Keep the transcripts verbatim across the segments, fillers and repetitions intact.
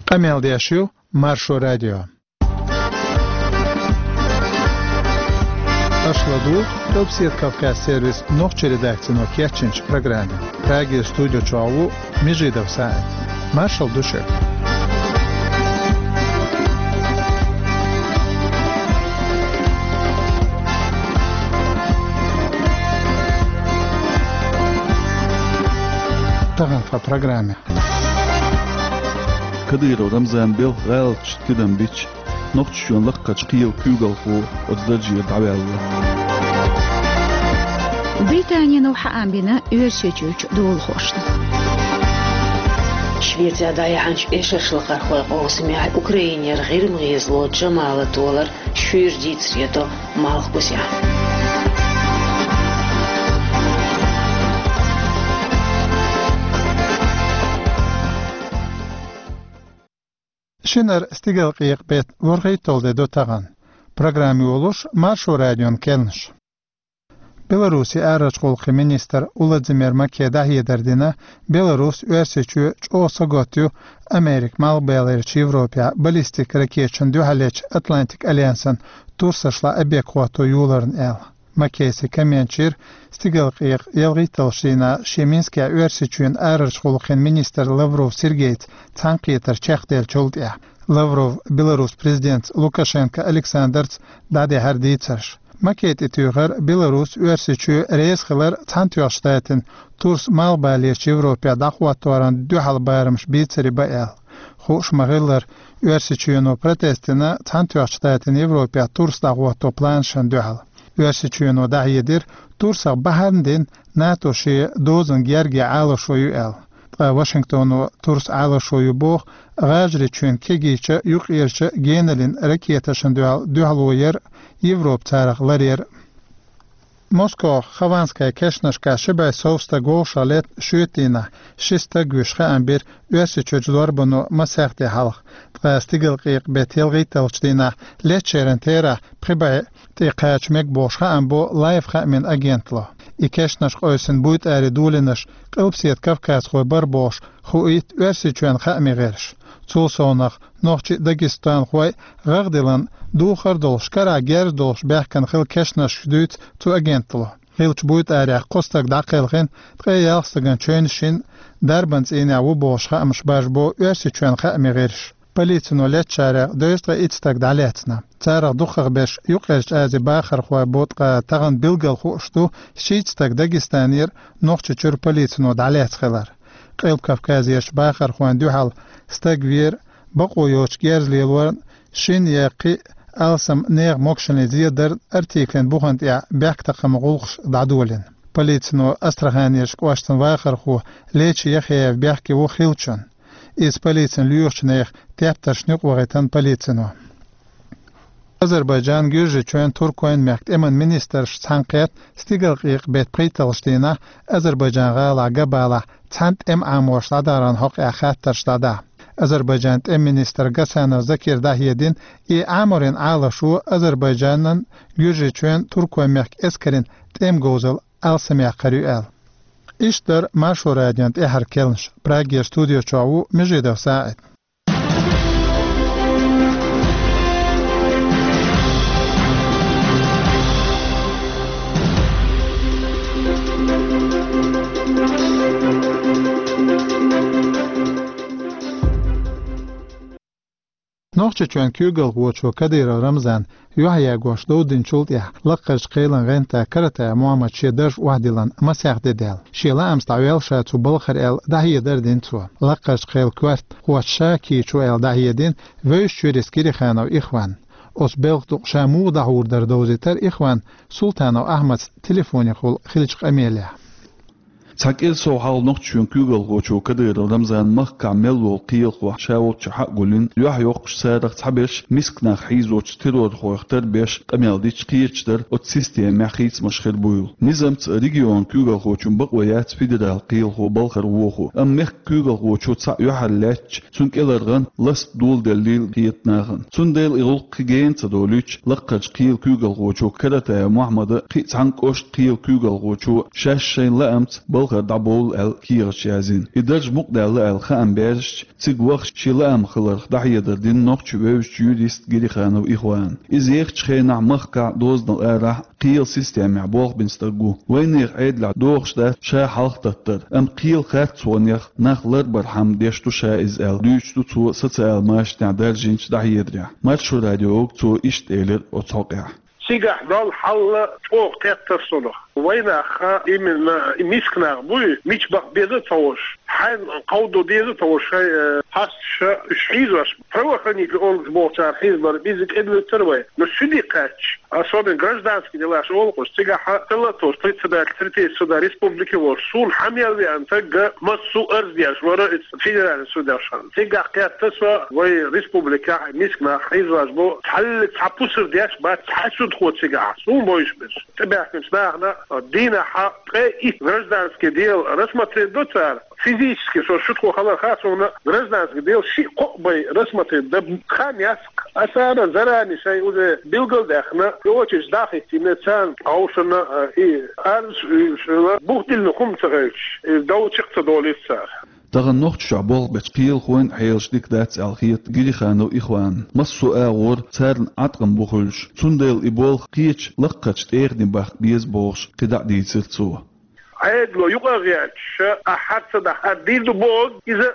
Къамел деш ю Маршо радио. Аша ладугӀу Къилбседа Кавказ сервисан нохчийн редакцино кечйинчу программе. Прагера студи чохь ву Межидов СаӀид. Маршалла ду шуьга. Тахана тхан программе. Кадыров Рамзан белхан гӀалаташ тидам бича, Нохчийчоьнан лакхарчу кхелан куьйгалхо оцу даржера дӀаваьлла. Британино хаам бина Оьрсийчуьрчу долахошна. Швецехь дӀаяьхьначу эшаршлакхархойн къовсамехь Украинера ГӀирма гӀезало Джамала толар шуьйра дийцаре до Малхбузехь. Шинара стигалкъекъа беттан ворхӀитталгӀа де ду тахана. Программа йолуш Маршо радион кхаьънаш. Беларусин арахьарчу гӀуллакхийн министр Уладзимир Маке дӀахьедар дина, Беларус Оьрсийчоь чӀогӀа сагатдо Америка Малхбалерчу Европехь баллистик ракеташна дуьхьал ечу Атлантик альянсан турсашла объект хӀотто йоларна аьлла. Макейс и коммент йира стигалкъекъа ялхитталгӀачу дийнахь шен Минскехь Оьрсийчоьнан арахьарчу гӀуллакхийн министр Лавров Сергейца цхьаьнакхетар чекхделлачул тӀаьхьа. Лавров Беларусин президентца Лукашенко Александрца дӀадахьара дийцарш. Макей тӀетуьйхира Беларус, Оьрсийчоь реза хилар Цхьаьнатоьхначу Штатийн турс Малхбалерчу Европехь дӀахӀотторна дуьхьал барамаш бийцаре бан аьлла. Хууш ма-хиллара, Оьрсийчоьно протест дина Цхьаьнатоьхначу Штатийн Европехь турс дӀахӀотто планашна дуьхьал. Оьрсийчоьно дӀахьедира, турсах бахьана дина НАТО шен дозанан герга Ӏалашо ю аьлла. Ткъа Вашингтоно турс Ӏалашо ю боху ГӀажарийчоьнан кегийчу, юккъерчу геналлин ракеташна дуьхьал дуьхьало яр Европа царах ларъяр. Москох Хованская кешнашкахь ши бӀе сов стаг вовшах летта шоьтан дийнахь ши стаг вуьйш хаам бира Оьрсийчуьрчу зорбано масех де хьалха. Ткъа стигалкъекъа беттан ялхитталгӀачу дийнахь летчеран терахь пхи бӀе тӀе кхача мега бохуш хаам бо Лайф хаамийн агенталло. И кешнаш къевсина буйтӀаре долийнарш Къилбседа Кавказхой бара бохуш хуийта Оьрсийчоьнан хаамийн гӀирсаша. Цул совнаха, нохчий а, дагестанхой а гӀагӀ диллина духар долуш, карахь герз долуш баьхкина хилла кешнашкаш дуьйцу цу агенталло. Хиллачу буйтӀарехь кхо стаг дӀакхелхина, ткъе ялх стагана чевнаш йина, дарбан цӀийнехь ву бохуш хаамаш бажабо Оьрсийчоьнан хаамийн гӀирсаша. Полицино летчарех дезткъе итт стаг дӀалаьцна. Царах дукхахберш Юккъерчу Азин бахархой бу, ткъа тахана билггал хууш ду шийтта стаг Дагестанера Нохчийчуьра полицино дӀалаьцна хилар. Къилба Кавказерчу бахархойн дуьхьал стаг вера бакъо йоцуш герз лелорна, шина я кхин а алсам нехан могашаллин зен дарна, артиклан бухана тӀехь бехктакхаман гӀуллакхаш дӀадолийна. Полицино Астраханерчу кӀоштан вахархо Лечи Яхяев бехке ву хиллачунна. Иза полицин лоьхучу нехан тептаршна юкъа вахийтина полицино. Азербайджан, Гуьржийчоьнан, Туркойн мехкан тӀеман министраш цхьаьнакхетта стигалкъекъа беттан пхийтталгӀачу дийнахь Азербайджан гӀалахь Габалахь цхьаьна тӀеман Ӏаморш дӀадаран хьокъехь хаттарш дӀадаха. Азербайджан тӀеман министра Гасанов Закира дӀахьедина, и Ӏаморийн Ӏалашо Азербайджанан, Гуьржийчоьнан, Туркойн мехкан эскарийн тӀеман говзалла алсамъяккхар ю аьлла. Иштта дара Маршо радион тӀаьхьара кхаьънаш. Прагера студи чохь ву Межидов СаӀид. Нохчийчоьнан куьйгалхочо Кадыров Рамзана юьхьъягош довдинчул тӀаьхьа лакхарчу кхелан гӀанта Каратаев Мохьмада шен дарж охьадиллина масех де даьлла. Шен лаамца дӀаваьлла ша цу балхара аьлла дӀахьедар дина цо. Лакхарчу кхелан коьртахочо ша кийчо аьлла дӀахьедина Вевзачуьрчу Кириханов Ихвана. Оцу белхан дукъ ша муха дӀахьур дара довзийтира Ихвана Султанов Ахьмадца телефонехула хиллачу къамелехь. Цхьа кӀира сов хьалха Нохчийчоьнан куьйгалхочо Кадыров Рамзана махкахь мел волу кхелахо ша волччохь а гулйина, юьхь йоккхуш, царах цхьаберш миска нах хьийзочу террорхойх тарбеш къамел дича, кхечу дара оцу системехь хийцамаш хир буйла. Низамца регионан куьйгалхочун бакъо яц федералан кхелахо балхара вохо, амма мехкан куьйгалхочо цхьаъ юьхьар лаьтташ, цунна кӀелхьаргӀан ласт доладеллийла кхета нахана. Цундела и гӀуллакх кхин гена ца долуьйтуш, лакхарчу кхелан куьйгалхочо Каратаев Мохьмада, кхин а цхьана кӀоштан кхелан куьйгалхочо шаьш шайн лаамца хӀара дӀабовла аьлла кехаташ язйина. И дарж мукъадаьлла аьлла хаам баьржача, цига вахача шен лаам хиларх дӀахьедар дина нохчий вевзача юриста Гириханов Ихвана. Иза ехача хенахь махкахь, дозанал арахь кхелан системехь болх бина стаг ву. Вайнехан Ӏедалехь догӀуш дац ша хьалхататтар, амма кхелан харцонех нах ларбархьама деш ду ша иза аьлла, дуьйцуш ду цо социал машанехь даржийначу дӀахьедарехь. Маршо радиога цо иштта элира оцу хьокъехь. Цигахь долу хьал чӀогӀа кхеттара суна. Вайнах именно и миска нах буй, мича баха беза а ца хууш, хьайна кховдо деза а ца хууш, шайн, э, хьасташа уьш хьийзош, правоохранительный органаш бохучара хьийзабар, иза кӀеда вуьтур вай. Но суьде кхаьчча, особенно гражданский делаш олу-кх уьш, цигахь тӀелатош председатель третейского суда республики волуш, суна хьан мел веана стаг массо а арз деш вара иза федеральный судьяш. Цигахь кхетта со, вай республикехь миска нах хьийзош бу, цхьаллиг цхьа пусар деш бац цхьа судхо цигахь, суна бовзуш берш. ТӀебаьхкинчу нахана дийнахь ткъе итт гражданский дело рассмотреть до цара. Физически со шутхо хилар хаьа суна, гражданский дело шиъ-кхоъ бен рассмотреть дан хан яц-кх. Аса ара заранее шайн уже билгал а даьхна, и очередь дӀа а хӀиттийна, царна хьовсуш а, и арз а уьйраш а, бух диллина хӀума ца хилча, и дов чекх ца долуьйту цара. Тахана Нохчийчохь болх бечу кхелахойн хьелаш дика дац аьлла хета Гириханов Ихванна. Массо а агӀор царна Ӏаткъам бу хуьлуш, цундела и болх кхечу лаккхарчу тӀегӀане баккха беза бохуш, кхидӀа а дийцира цо. Ӏедало юкъа а гӀерташ, ахь хӀара ца дахь, хӀара дийр ду бохург, иза,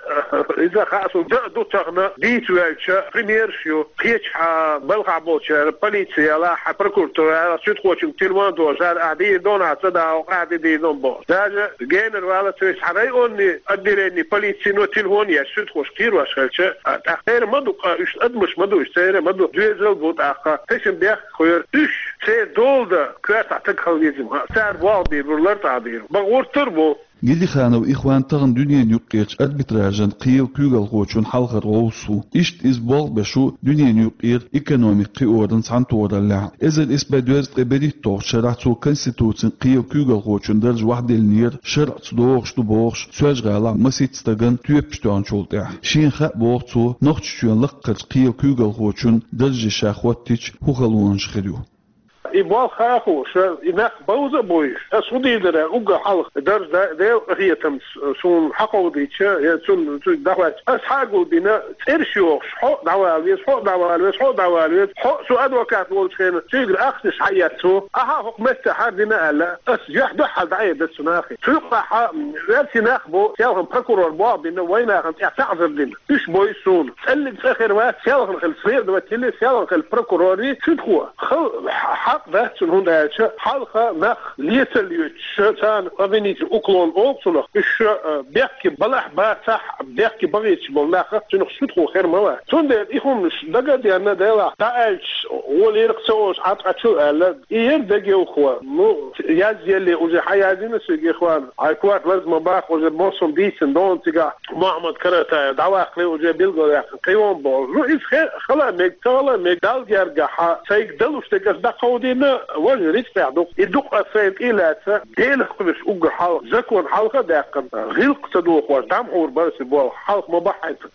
иза хаьа суна, дан а ду тахана, дийца ваьлча, примераш ю. Кхечахьа балхахь болчара полици ялахь, прокуратура ялахь, суьдхочуьнга телефон а дожуш, ахь дийр ду, ахь ца дахь, ахь де дийр ду бохуш. Даже генара валлалц вешан районный отделение полицино телефон еш, суьдхош кхерош хилча, а, тӀаккха церан ма ду, а, уьш адамаш ма ду, уьш церан ма ду, доьзал бу тӀаккха, тешнабехк хуьлура. Уьш церан дола дан коьртахь стаг хила веза-м, цара болх бийр бу, лартӀехь дийр бу. Бакъ гӀуртар бу. Гириханов Ихван тахана дуьненан юккъерчу арбитражан кхелан куьйгалхочун хьалхара гӀовс ву. Иштта иза болх беш ву дуьненан юккъера экономика кхиоран цхьаьнатохараллехь. Эзар исс бӀе дезткъе берхӀитталгӀачу шарахь цо Конституцин кхелан куьйгалхочун дарж вахьделлинера, шарӀаца догӀуш ду бохуш, Соьлжа-ГӀалахь масийтта стагана тоьпаш тоьхначул тӀаьхьа. Шена хаьа, боху цо, Нохчийчоьнан лаккхарчу кхелан куьйгалхочун дарже ша хӀоттийча, хӀун халонаш хир ю. И болх хаьа хууш, и нах бовза а бовзуш, ас хӀун дийр дара уггар хьалха дарж да-, Делан къинхетамца суна хьакховдийча, я цунна, цуьнга дӀахӀоьттича, ас хьагулбина, цӀераш йохуш, хьо а дӀавала веза, хьо а дӀавала веза, хьо а дӀавала веза, хьо а, со адвокат волчу хенахь, цуьнгара ахчанаш хьаэцна, ахьа хӀокху меттехь хӀара дина аьлла, ас юьхь-дуьхьал дӀаэцна цу нахе. Цу юкъахь, м, оьрсийн нах бу, селхана прокурор болх бина, вайнахана тӀехь таӀзар дина. Уьш бой суна. ЦӀаллиг цӀа хир вац, селхана хила следователи, селхана хила прокурори, суьдхо. Хала хьакъ дац цунна, хӀунда аьлча хьалха нах лецалла йоьдуш, царна обвинительный уклон олу цунах, уьш, а, бехке балахь бацахь, бехке бахийташ болу нах цунах суьдхо хир ма вац. Цундела и хӀуманаш дага а денна, делахь дӀааьлча, гӀоле лерриг ца олуш Ӏаткъа чу аьлла, и яра дегайовхо. Ну, язъелле уже хьаязйина соьга Ихван. Хьайн корта ларз ма баккха, уже массо а дийцина долу цигахь. Мухьаммад Каратаев дӀаваккхале уже билгалъяьккхина кхин а боху. Ну, иза хе-, хала а мега, ца хала а мега, Далла гергахь, сайга далуш дерг ас дӀакховдийна, важа рицкъехь ду-кх. И ду-кх ас сайна тӀе а лаьцна, Делах кхуьуш уггар хьалха, закон хьалха а даьккхина, гӀиллакх ца дохош, дӀа ма хьур бара аса и болх, хьалха ма бахьийта.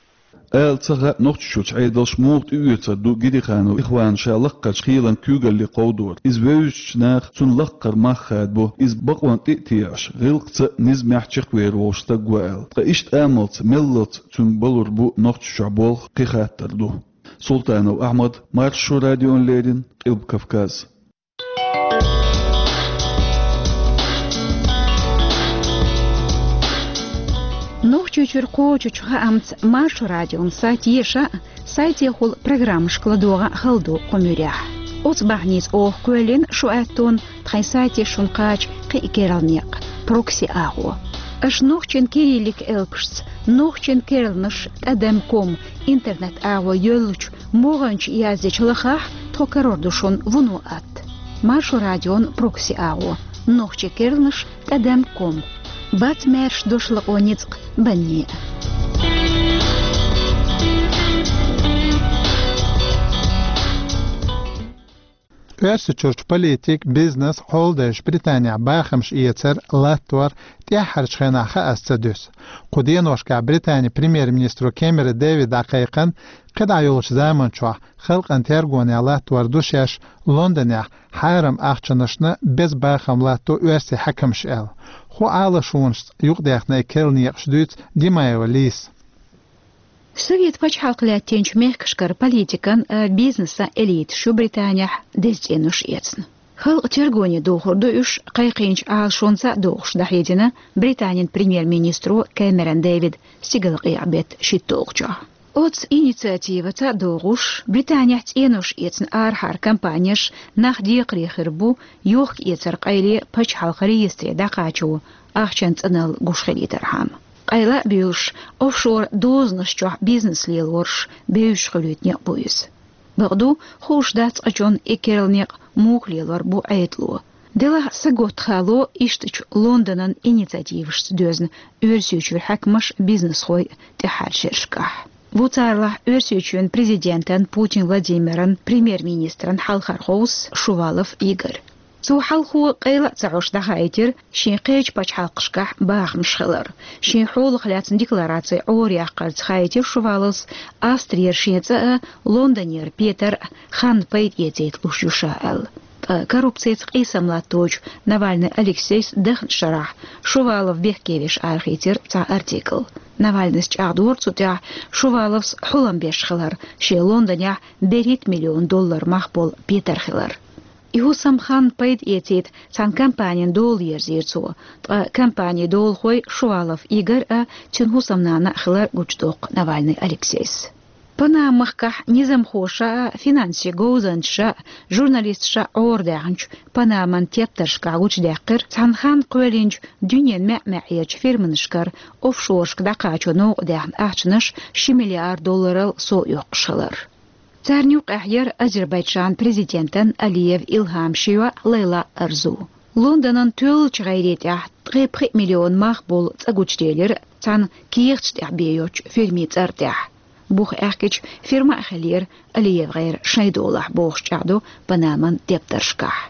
Ала ца хаьа, Нохчийчуьрчу Ӏедалш муха тӀеоьцур ду Гириханов Ихвана ша лаккхарчу кхелан куьйгалле кховдор. Иза вевзачу наха цунна лаккхара мах хадабо, иза бакъонна тӀе а теӀаш, гӀиллакхца а, низамехь а чекхвер волуш стаг ву аьлла. Ткъа иштта амалца, меллалц цуьнга балур бу Нохчийчохь болх, кхин хаттар ду. Султанов Ахьмад, Маршо радиона леррина, Къилба Кавказ. Нохчийчуьра кхочучу хаамца Маршо радион сайт еша а, сайтехула программашка ладогӀа а хала ду кху муьрехь. Оцу бахьаница оха кхоьллина шу аьттонна тхайн сайте шуна кхача кхин а керла некъ, прокси агӀо. Аша нохчийн кириллик элпашца, нохчийн керланаш тӀадам ком интернет-агӀо йоьллучу могӀанчу яздечу лахахь, тхо карор ду шуна вуно атта. Маршо радион прокси агӀо, нохчийн керланаш тӀадам ком. Бац маьрша дошлакъо ницкъ банне а. Оьрсийчуьрчу политика, бизнес, хьолдайша Британехь бахамаш эцар, латтор тӀаьххьарчу хенахь хаа ца дуьсу. Кху деношкахь Британин премьер-министро Кэмерон Дэвида дӀакхайкхина, кхидӀа йолчу заманчохь халкъан тергонехь латтор ду шаьш Лондонехь хьарам ахчанашна беза бахам латто оьрсийн хьаькамаш аьлла. Хьо Ӏалашонашца юкъадаьхна и керла некъаш дуьйцу Димаева Лизас. Совет пачхьалкх лаьттинчу мехкашкара политикан а, бизнесан элиташ ю Британехь деза цӀенош эцна. Халкъан тергоне дохур ду уьш, кхайкхийначу Ӏалашонца а догӀуш дӀахьедина Британин премьер-министро Кэмерон Дэвида стигалкъекъа беттан шийтталгӀачохь. Оцу инициативаца а догӀуш, Британехь цӀенош эцна арахьара компанеш нах декхаре хир бу, йохка-эцар къайле пачхьалкхан реестре дӀакхачо ахчанан цӀаналла гуш хилийтархьама. Къайла а буьйлуш, офшор дозанаш чохь бизнес лелораш бевзаш хуьлуьйту некъ бу иза. Бакъду, хууш дац къачунна и керла некъ муха лелор бу Ӏедало. Делахь саготта хало ишттачу Лондонан инициативашца доьзна Оьрсийчуьра хьаькамаш, бизнесхой тӀаьххьарчу шерашкахь. Ву царалахь Оьрсийчоьнан президентан Путин Владимиран, премьер-министран хьалхара хьовсо Шувалов Игорь. Цо хьалхо къайла а ца Ӏош дӀахаийтира, шен кхечу пачхьалкхашкахь бахамаш хилар. Шен хьолах лаьцна деклараци Ӏора яккхарца хаийтира Шуваловс, Австрера шен цӀа а, Лондонера Петар а ханна пайда эцийта луш ю ша аьлла. Ткъа коррупцица къийсам латточу Навальный Алексейс дахначу шарахь Шувалов бехке веш арахийцира цхьа артикл. Навальныйс чӀагӀдора цу тӀехь, Шуваловс хьулам беш хилар, шен Лондонехь берхӀитта миллион доллар мах болу Петар хилар. И хӀусам ханна пайда эцийта цхьана компанина дола ерзийра цо, ткъа компанин долахой Шувалов Игорь а, цуьнан хӀусамнана а хилар гучудоккху Навальный Алексейс. Панама-махкахь низамхоша а, финансийн говзанчаша а, журналисташа а Ӏорадаьхначу Панаман тептаршкахь гучудаьккхира цхьана ханна кхоьллинчу дуьненан маьӀ-маьӀӀерчу фирманашкара офшорашка дӀакхачо новкъадаьхна ахчанаш ши миллиард долларал сов оьккхуш хилар. Царна юкъахь яра Азербайджан президентан Алиев Илхам ши йоӀ Лейла Арзу. Лондонан тоьллачу гӀайре тӀехь ткъе пхи миллион мах болу цӀа гучуделира цхьана кехаташ тӀехь бен йоцчу фирмин цӀар тӀехь. Бух аьхкича, фирма а хиллера Алиев гӀайра шайн долахь, бохуш чӀагӀдо Панаман тептаршкахь.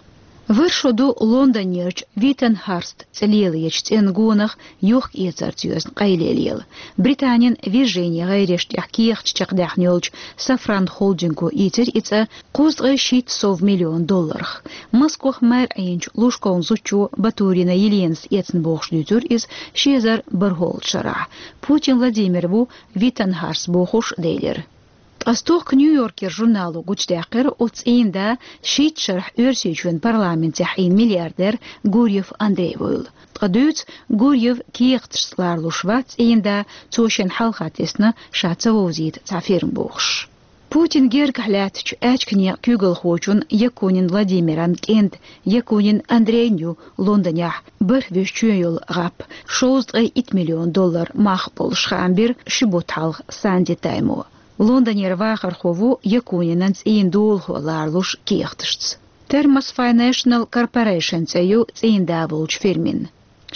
Вара шо ду Лондонерчу Витенхарст цӀе лелочу цӀенна гонах йохка-эцарца йоьзна къайле лела. Британин Виржини гӀайреш тӀехь кехаташ чекхдаьхна йолчу Safran холдинго ийцира и цӀа кхузткъе шийтта сов миллион долларах. Москох мэр Ӏийначу Лужковн зудчо Батурина Еленас эцна бохуш дуьйцура иза ши эзар бархӀолгӀачу шарахь. Путин Владимир ву Витенхарст бохуш делира. Ткъа стохка Нью-Йоркера журнало гучудаьккхира, оцу цӀийнан да шийтта шарахь Оьрсийчоьнан парламентехь Ӏийна миллиардер Гурьев Андрей вуйла. Ткъа дуьйцу, Гурьев кехаташца ларалуш вац цӀийнан да, цо шен хьалха тесна ша ца вовзийта цхьа фирма бохуш. Путин гергахь лаьттачу аьчка некъан куьйгалхочун Якунин Владимиран кӀентан Якунин Андрейн ю Лондонехь бархӀ вуьзчу чоь йолу гӀап, шовзткъе итт миллион доллар мах болуш, хаам бира ши бутт хьалха Санди Таймо. Лондонера вахархо ву Якунинан цӀийнан долахо ларалуш кехаташца. Thermos Financial Corporation цӀе ю цӀийнан да волчу фирмин.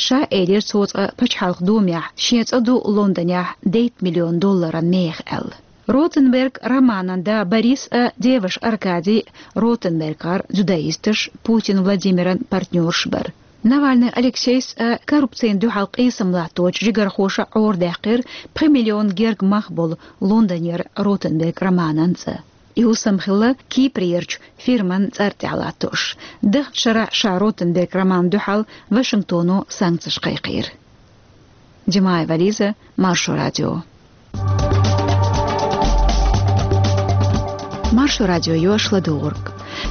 Ша элира цо цкъа пачхьалкх думехь, шен цӀа ду Лондонехь дейтта миллион долларан меха аьлла. Ротенберг Романан да Борис а, деваш Аркадий а Ротенбергера дзюдоисташ, Путин Владимиран партнерш бара. Навальный Алексейс а коррупцина дуьхьал къийсам латточу жигархоша Ӏорадаьккхира пхи миллион герга мах болу Лондонера Ротенберг Романан цӀа. И хӀусам хилла Кипрерчу фирман цӀар тӀехь латтош. Дахначу шарахь ша Ротенберг Романна дуьхьал Вашингтоно санкцеш кхайкхийра. Димаева Лиза, Маршо радио. Маршо радио йош ладугӀург.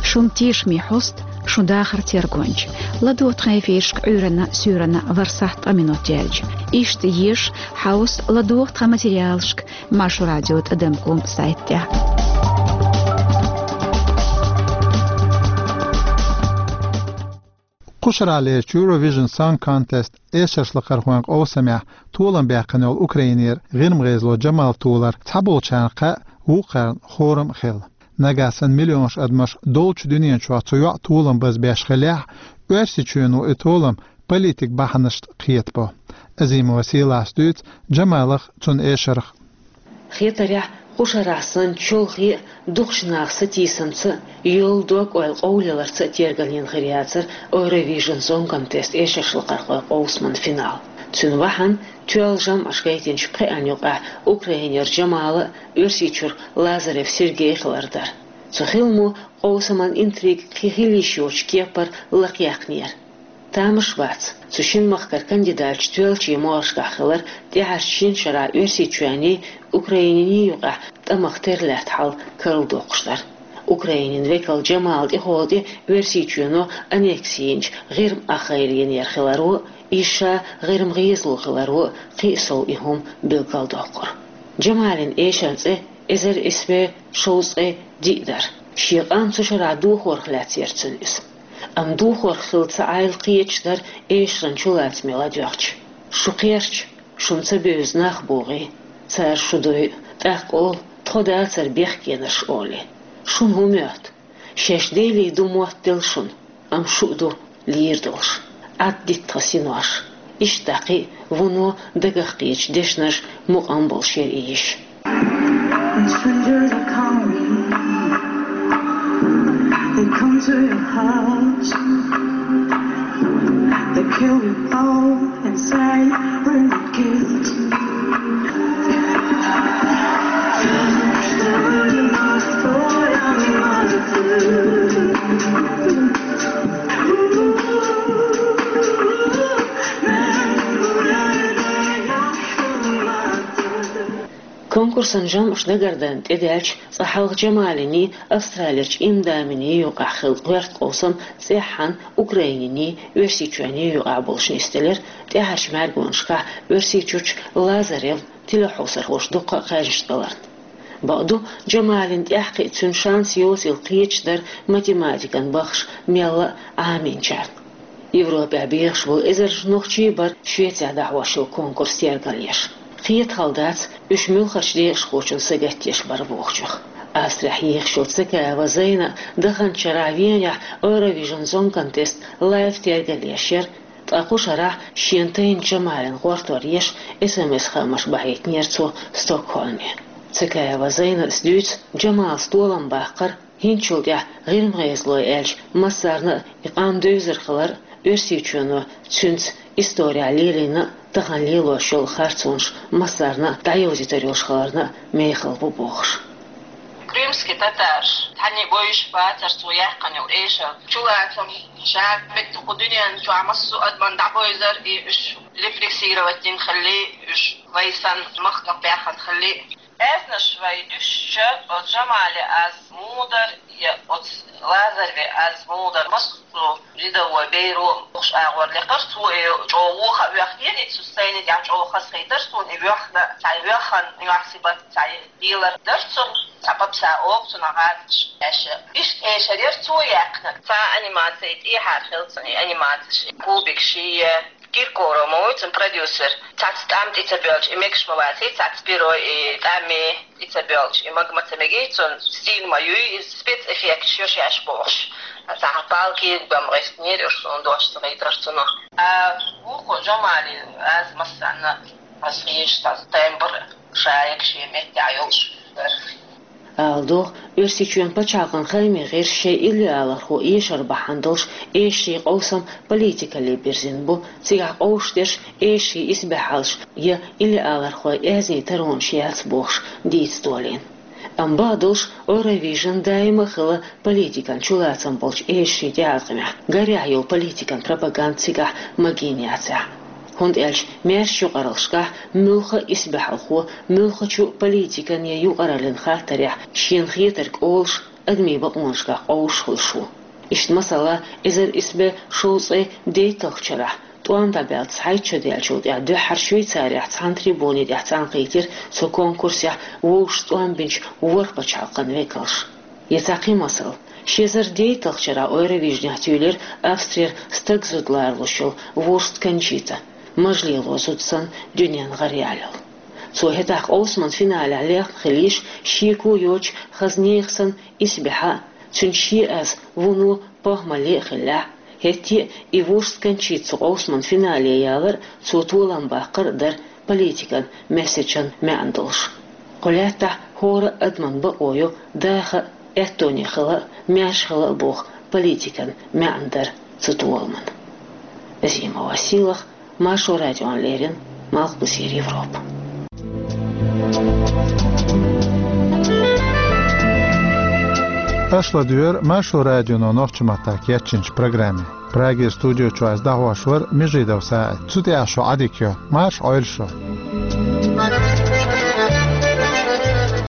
Шун тешаме хьоста, шун дахар тергонча. ЛадогӀа тхан эфиршка Ӏуьйранна, суьйранна ворхӀ-ворхӀ минот яьлча. Иштта еша, хьовса, ладогӀа тхан материалшка Маршо радио тӀадам ком сайт тӀехь. Кхушаралерчу Eurovision Song Contest эшаршлакхархойн къовсамехь толам баьккхина йолу Украинера гӀирмгӀезало Джамал толар цхьаболчарна кхаъ, вукхарна хорам а хилла. Нагахь санна миллионаш адамаш долчу дуьнен чохь цу йоӀан толам базбеш хиллехь, Оьрсийчоьно и толам политик бахьанашца кхетабо. Азимова Сийлас дуьйцу Джамалах, цуьнан эшарх. Хетарехь, Кху шарахь санна чолхе а, дукхачу наха сатийсамца а, йолу дог-ойла къовлийларца а тергалйина хир яцара Eurovision Song Contest эшаршлакхархойн къовсаман финал. Цуьнан бахьана тоьлла жамӀаш гайтинчу пхеана юкъахь Украинера Джамала а, Оьрсийчуьра Лазарев Сергей хилар дара. Цу хиламо къовсаман интрига кхин хила йиш йоцучу кепара лакхаяьккхинера. Тамаш бац, цу шина махкара кандидаташ тоьллачийн могӀаршкахь хилар тӀаьхьарчу шина шарахь Оьрсийчоьнний, Украининий юкъахь тӀамах тера лаьтта хьал карладоккхуш дар. Украинин векал Джамала тӀехула тӀе Оьрсийчоьно аннекси йинчу ГӀирма Ахайл йинера хиларо а, иза ша ГӀирма гӀезало хиларо а кхин а сов и хӀума билгалдоккхура. Джамалин эшаран цӀе эзар исс бӀе шовзткъе диъ дара. Шен къам цу шарахь дохорах лаьцна яра цуьнан иза. Амма дохорах хилла ца Ӏайла кхеташ дара эшаран чулацаме ладоьгӀча. Шу кхерча, шуна ца бевза нах богӀий, цара шу дойу, тӀаккха олу, тхо дацара бехкенаш олий. Шуна хӀун моьтту? Шаьш Деле ду моттаделла шуна, амма шу а ду лийр долуш. Ӏад дита тхан синош. Иштта кхин а вуно дагах кхетачу дешнаш мукъам болуш яра и йиш. When strangers are coming, they come to your house. They kill your phone and say, "We're not guilty." Конкурсан жамӀаш дагардан тӀедаьлча, цкъа хьалха Джамалиний, Австралерчу Имдаминий юкъахь хилла гӀоьрта къовсам цӀеххьана Украининий, Оьрсийчоьнний юкъахь болуш нисделира, тӀаьхьарчу мӀаьргонашкахь Оьрсийчуьрчу Лазаревн телехьовсархоша дуккха а кхаьжнаш даларна. Бакъду, Джамалин тӀаьхьакхиа цуьнан шанс йоцийла кхеташ дара математикан баххаш мелла а Ӏамийнчарна. Европехь бехаш болу эзарнаш нохчий бара Швецехь дӀахьош йолу конкурс тергалъеш. Кхета хала дац, уьш муьлххачу декъашхочунна сагатдеш бара бохучух. Австрехь ехаш йолу Цекаева Зайна а даханчу шарахь Венехь Eurovision Song Contest лайв тергалъеш яра, ткъа кху шарахь шена тайна Джамалин гӀортор еш, эс эм эс-хаамаш бахьийтинера цо Стокгольме. Цекаева Зайнас дуьйцу, Джамалас толам баккхар, хӀинцачул тӀаьхьа ГӀирма гӀезалой аьлча массарна а и къам девзар хилар, Оьрсийчоьно цуьнца исторехь лелийна а, тахана лелош йолу харцонаш массарна а дӀайовзийтар йолуш хиларна а мехала бу бохуш. Крымский татараш, цхьанне бойуш бацара цо яьккхина йолу эшар. Чулацам ша меттиг кху дуьнен чохь массо а адамна дӀабойзар, и уьш репрессировать дина хилли, уьш вай санна махках баьхна хилли. Аьзнаш вай дуьсча, оцу Джамале аз мудар я оцу Лазареве аз мудар, массо а рядовой беро а бохуш агӀор лекхара, цо и чӀогӀа вуха а воьхкера, и цу сцени тӀехь чӀогӀа хазахийтар суна, и воьхна, цхьа воьхна нохчийн бат цхьа лелар дара цунна, цхьа папса оха цунах гӀазкхаш аьшша. Иштта эшар яра цо яьккхинарг. Цхьа анимаци тӀехьара хилла цунна, и анимаци ши, кубик ши я. Киркоров ма вуй цуьнан продюсер. Цхьацца тӀам тӀе ца боьлча, и мегаш ма ваций, цхьацца перо, и тӀам тӀе ца боьлча, и мага ма ца мегий цунна, стиль ма юй, иза спецэффекташ йо шаьш бохуш. Цхьа палки бан гӀиснера уьш, суна дош ца гайтар цунах. А вукхо Джамали аз массанна, аз хьийзаш, тхан тембр ша егга шен меттехь йолуш дара. Ала догӀу, Оьрсийчоьнан пачхьалкхан хаамийн гӀирсаша шайн иллиалархо эшар бахьана долуш эшарийн къовсам политикалле бирзина бу, цигахь къовсуш дерш эшарийн исбаьхьаллаш я иллиалархойн аьзнийн таронаш яц бохуш дийца долийна. Амма бакъдолуш, Eurovision даима а хилла политикан чулацам болчу эшарийн тӀеӀаткъамехь, гарехь йолу политикан пропаганда цигахь магийна яцахь. ХӀунда аьлча маьршачу юкъараллашкахь муьлхха а исбаьхьалхо, муьлххачу а политикан я юкъараллин хаттарехь шена хетарг олуш, адамийн бакъонашкахь къовсуш хуьлуш ву. Иштта, масала, эзар исс бӀе шовзткъе дейтталгӀачу шарахь, тӀом дӀабаьлла цхьайтта шо даьллачул тӀаьхьа дуьххьара Швейцарехь цхьана трибуни тӀехь цхьаьнакхийтира цу конкурсехь вовшашца тӀом бинчу ворхӀ пачхьалкхан векалш. Я цхьа кхин масал. Ши эзар дейтталгӀачу шарахь Евровижнехь туьйлира Австрера стаг зуда лоралуш йолу Вурст Кончита, мажа лело зуда санна, дуьненна гӀараяьлла. Цо хӀетахь къовсаман финалехь лехна хилийша, шеко йоцуш, хаза нехан санна исбаьхьа а, цуьнан шен аз вуно похӀмалле а хиллехь, хӀетте а и Вурст Кончита цу къовсаман финале ялар а, цо толам баккхар а дара политикан месседжан маьӀна долуш. Кху лаьттахь ХӀора адаман бакъо ю даха а, аьттоне хила а, маьрша хила а боху политикан маьӀна дар цу толаман. Азимова Сийлаха, Маршо радиона леррина, Малхбузера Европа. Аша ладоьгӀура Маршо радионо нохчийн маттахь кечйинчу программе. Прагера студи чуьра ас дӀахьош вара Межидов СаӀид. Цу тӀехь шун Ӏадика йо. Марша Ӏойла шу.